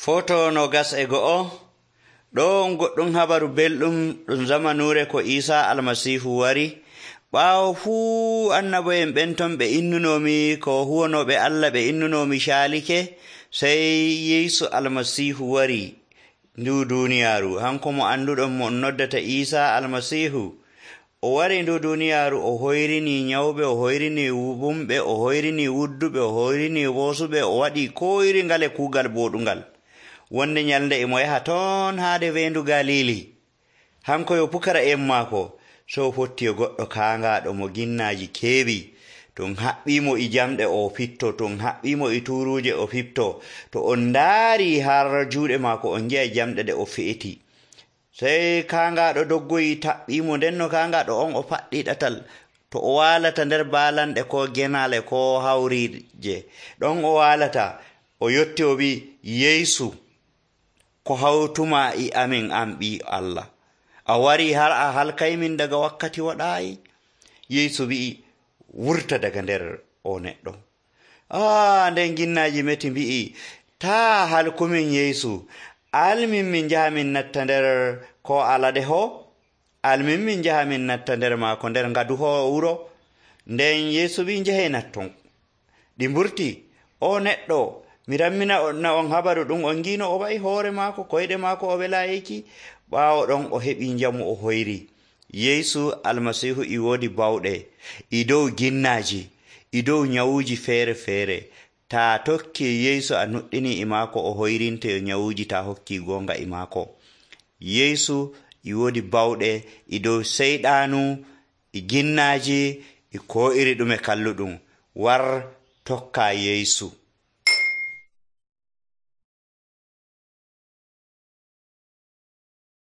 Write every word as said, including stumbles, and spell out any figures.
Foto no gas e go'o ɗon goɗɗum habaru belɗum ɗum zamanuure ko Isa almasihu wari. Ɓaawo fuu annabo'en ɓen ton ɓe innunomi ko huwonoɓe Allah ɓe innunomi caalike, sey Yeesu almasihu wari ndu duniyaaru. Hanko mo anduɗon mo noddata Isa almasihu o wari ndu duniyaaru, o hoyrini nyawɓe, o hoyrini wumɓe, o hoyrini wudduɓe, o hoyrini woosuɓe, o waɗi ko iri ngale kuugal boɗungal. Wonde nyalnde e mo yaha toon haade weendu Galili. Hanko yo pukara en maako, so fotti yo goɗɗo kaangaaɗo mo ginnaaji keewi. Ton haɓɓimo e jamɗe o fitto, ton haɓɓimo e tuuruuje o fitto. To on ndaari har juuɗe maako on ngi'a jamɗe ɗe o fe'iti. Sey kaangaaɗo doggoyi taɓɓimo, nden no kaangaaɗo on o faɗɗi ɗatal. To o waalata nder baalanɗe ko genaale ko hawriije, ɗon o waalata, o yotti o wi, Yeesu, ko hawtuma e amin an ɓii Allah, a wari har a halkaymin daga wakkati waɗaayi? Yeesu wi'i, wurta daga nder o neɗɗo. Ah, nden ginnaaji meti mbi'i, taa halkumin Yeesu, almin min njaha min natta nder ko alade ho, almin min njaha min natta nder maako nder ngadu ho wuro. Nden Yeesu wi, njahe natton. Ɗi mburti, o neɗɗo, mi rammina na on habaru ɗum on ngino o wa'i hoore maako, koyɗe maako o welayiki. Ɓaawo ɗon o heɓi njamu o hoyri. Yeesu almasihu i woodi bawɗe i dow ginnaaji, i dow nyawuuji feere feere. Taa tokki Yeesu a nuɗɗini e maako o hoyrinte nyawuuji, taa hokki goonga e maako. Yeesu i woodi bawɗe i dow seyɗaanu, e ginnaaji, e ko iri ɗume kalluɗum. War tokka Yeesu.